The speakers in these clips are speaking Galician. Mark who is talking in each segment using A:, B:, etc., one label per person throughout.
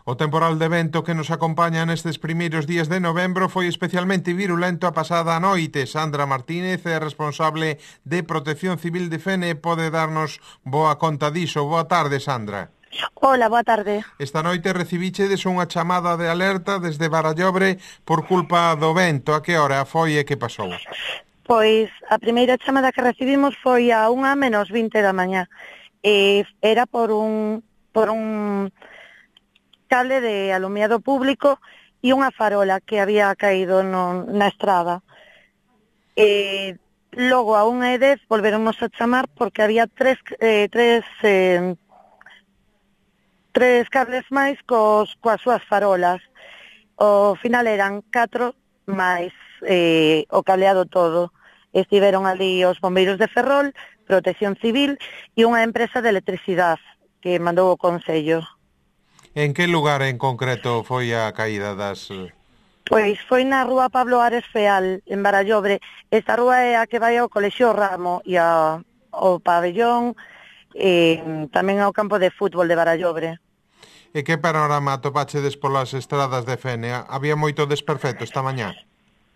A: O temporal de vento que nos acompaña nestes primeiros días de novembro foi especialmente virulento a pasada noite. Sandra Martínez é responsable de Protección Civil de Fene e pode darnos boa conta diso. Boa tarde, Sandra.
B: Hola, boa tarde.
A: Esta noite recibichedes unha chamada de alerta desde Barallobre por culpa do vento. A que hora foi e que pasou?
B: Pois a primeira chamada que recibimos foi a 1:20 da mañá. Era por un cable de alumiado público e unha farola que había caído na estrada. Logo a 1:10 volveronnos a chamar porque había tres cables máis coas súas farolas. Ao final eran 4 máis o cableado todo. Estiveron ali os bombeiros de Ferrol, Protección Civil e unha empresa de electricidade que mandou o Concello.
A: En que lugar en concreto foi a caída das...
B: Pois foi na rúa Pablo Ares Feal, en Barallobre. Esta rúa é a que vai ao Colexio Ramo e ao pabellón, tamén ao campo de fútbol de Barallobre.
A: E que panorama atopachedes polas estradas de Fene? Había moito desperfecto esta mañá?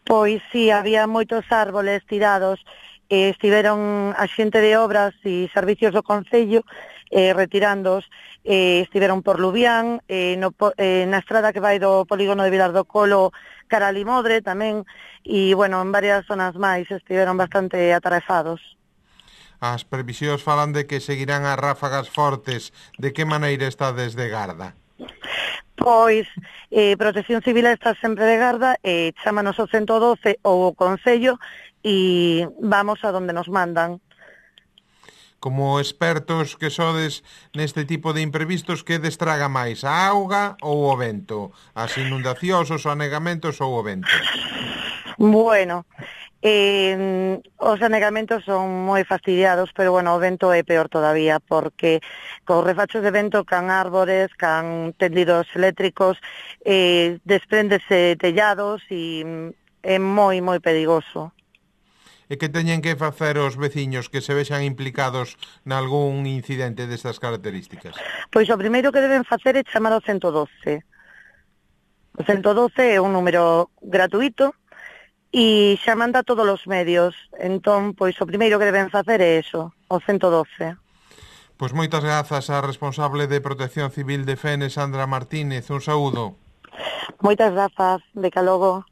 B: Pois sí, había moitos árboles tirados. Estiveron a xente de obras e servicios do Concello retirándoos. Estiveron por Lubián, na estrada que vai do polígono de Vilar do Colo cara a Limodre tamén, e, bueno, en varias zonas máis estiveron bastante atarefados.
A: As previsións falan de que seguirán as ráfagas fortes. De que maneira está desde Garda?
B: Pois, Protección Civil está sempre de garda, chámanos ao 112 ou o Concello e vamos a donde nos mandan.
A: Como expertos que sodes neste tipo de imprevistos, que destraga máis, a auga ou o vento? As inundacións, os anegamentos ou o vento?
B: Bueno, os anegamentos son moi fastidiados, pero bueno, o vento é peor todavía, porque cos refachos de vento can árbores, can tendidos eléctricos, despréndese tellados e é moi, moi perigoso.
A: E que teñen que facer os veciños que se vexan implicados nalgún incidente destas características?
B: Pois o primeiro que deben facer é chamar ao 112. O 112 é un número gratuito e xa manda todos os medios. Entón, pois o primeiro que deben facer é eso, o 112.
A: Pois moitas grazas á responsable de Protección Civil de Fene, Sandra Martínez. Un saúdo.
B: Moitas grazas, de que logo.